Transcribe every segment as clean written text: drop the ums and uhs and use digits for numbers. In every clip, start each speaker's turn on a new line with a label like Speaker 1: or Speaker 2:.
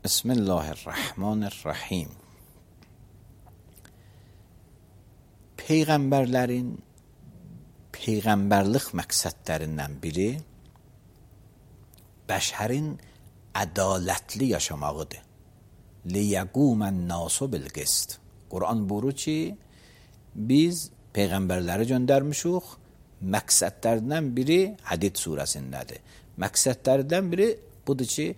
Speaker 1: Bismillahirrahmanirrahim. Peyğəmbərlərin peyğəmbərlik məqsədlərindən biri bəşərin ədalətli yaşamağıdır. Liyəqumən nasu bil qist. Quran buyurur ki, biz peyğəmbərləri göndərmişik. Məqsədlərindən biri Hədid surəsindədir. Məqsədlərindən biri budur ki,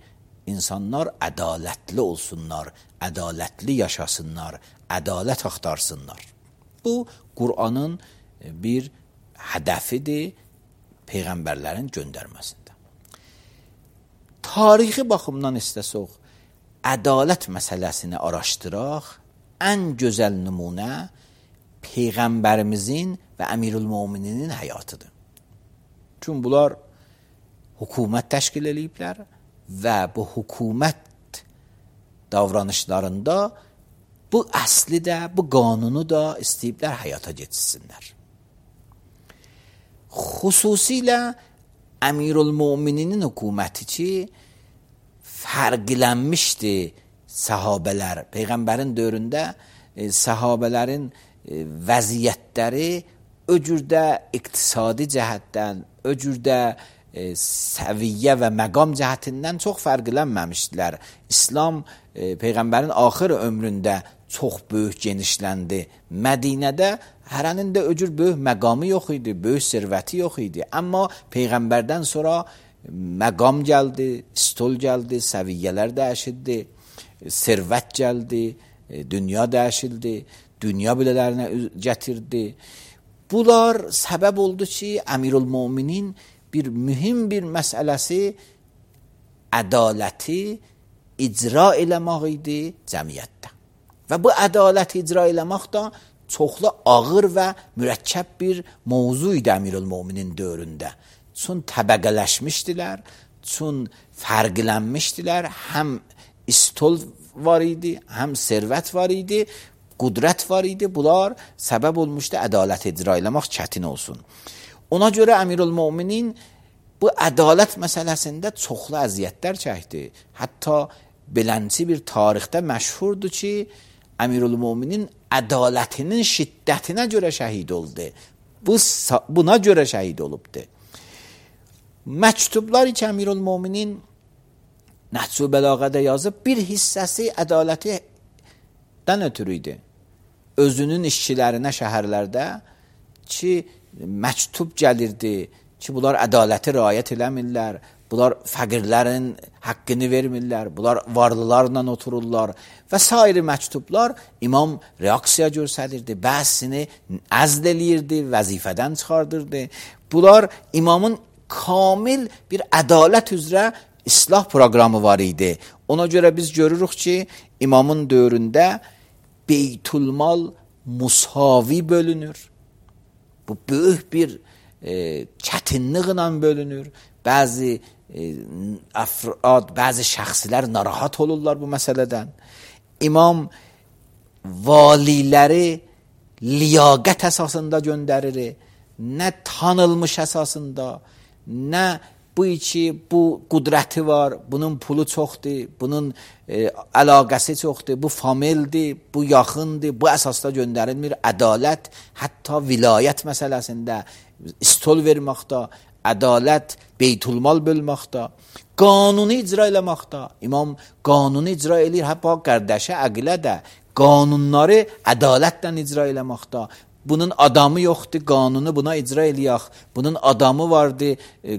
Speaker 1: insanlar ədalətli olsunlar, ədalətli yaşasınlar, ədalət axtarsınlar. Bu, Qur'anın bir hədəfidir peyğəmbərlərin göndərməsində. Tarixi baxımdan istəsək, ədalət məsələsini araşdıraq, ən gözəl nümunə peyğəmbərimizin və Əmirül-Mömininin həyatıdır. Çünki bunlar hökumət təşkil ediblər və bu hökumət davranışlarında bu əsli də, bu qanunu da istəyiblər həyata keçirsinlər. Xüsusilə Əmirül-Mömininin hökuməti ki, fərqlənmişdi səhabələr. Peyğəmbərin dövründə səhabələrin vəziyyətləri o cürdə iqtisadi cəhətdən, o cürdə səviyyə və məqam cəhətindən çox fərqlənməmişdilər. İslam Peyğəmbərin axır ömründə çox böyük genişləndi. Mədinədə hərənin də o cür böyük məqamı yox idi, böyük sərvəti yox idi. Amma Peyğəmbərdən sonra məqam gəldi, stol gəldi, səviyyələr dəyişildi, sərvət gəldi, dünya dəyişildi, dünya bilələrinə gətirdi. Bunlar səbəb oldu ki, Əmirül-Möminin bir mühüm bir məsələsi ədaləti icra eləmək idi cəmiyyətdə. Və bu ədaləti icra eləmək da çoxlu ağır və mürəkkəb bir mövzu idi Əmirül-Möminin dövründə. Çün təbəqələşmişdilər, çün fərqlənmişdilər, həm istol var idi, həm sərvət var idi, qudrət var idi. Bunlar səbəb olmuşdu ədalət icra eləmək çətin olsun. Ona görə Əmirül-Möminin bu ədalət məsələsində çoxlu əziyyətlər çəkdi. Hətta belənçi bir tarixdə məşhurdur ki, Əmirül-Möminin ədalətinin şiddətinə görə şəhid oldu. Buna görə şəhid olubdu. Məktublar ki, Əmirül-Möminin Nəhcü Bəlağədə yazıb, bir hissəsi ədalətdən ötürü idi. Özünün işçilərinə şəhərlərdə ki, məktub gəlirdi ki, bunlar ədaləti riayət eləmirlər, bunlar fəqirlərin haqqını vermirlər, bunlar varlılarla otururlar və s. məktublar imam reaksiya göstərirdi, bəzisini əzl eləyirdi, vəzifədən çıxardırdı. Bunlar imamın kamil bir ədalət üzrə islah proqramı var idi. Ona görə biz görürük ki, imamın dövründə Beytülmal musavi bölünür. Bu böyük bir çətinliklə bölünür. Bəzi əfrad, bəzi şəxslər narahat olurlar bu məsələdən. İmam valiləri liyaqət əsasında göndərir, nə tanılmış əsasında, nə bu qudrəti var, bunun pulu çoxdur, bunun əlaqəsi çoxdur, bu famildir, bu yaxındır, bu əsasda göndərilmir. Ədalət hətta vilayət məsələsində istol verməkdə, ədalət beytulmal bölməkdə, qanunu icra eləməkdə. İmam qanunu icra eləyir, hətta qardaşı əqilə də qanunları ədalətlə icra eləməkdə. Bunun adamı yoxdur, qanunu buna icra eləyək. Bunun adamı vardı,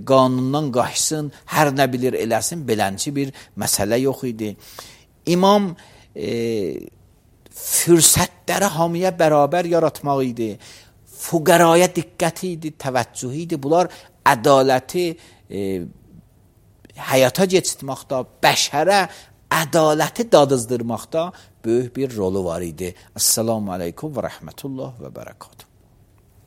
Speaker 1: qanundan qaçsın, hər nə bilir eləsin, belənçi bir məsələ yox idi. İmam fürsətləri hamıya bərabər yaratmaq idi. Fuqaraya diqqəti idi, təvəccühü idi. Bunlar ədaləti həyata keçirtməkdə, bəşərə ədaləti dadızdırmaqda böyük bir rolu var idi. Esselamu aleykum və rəhmətullah və bərəkət.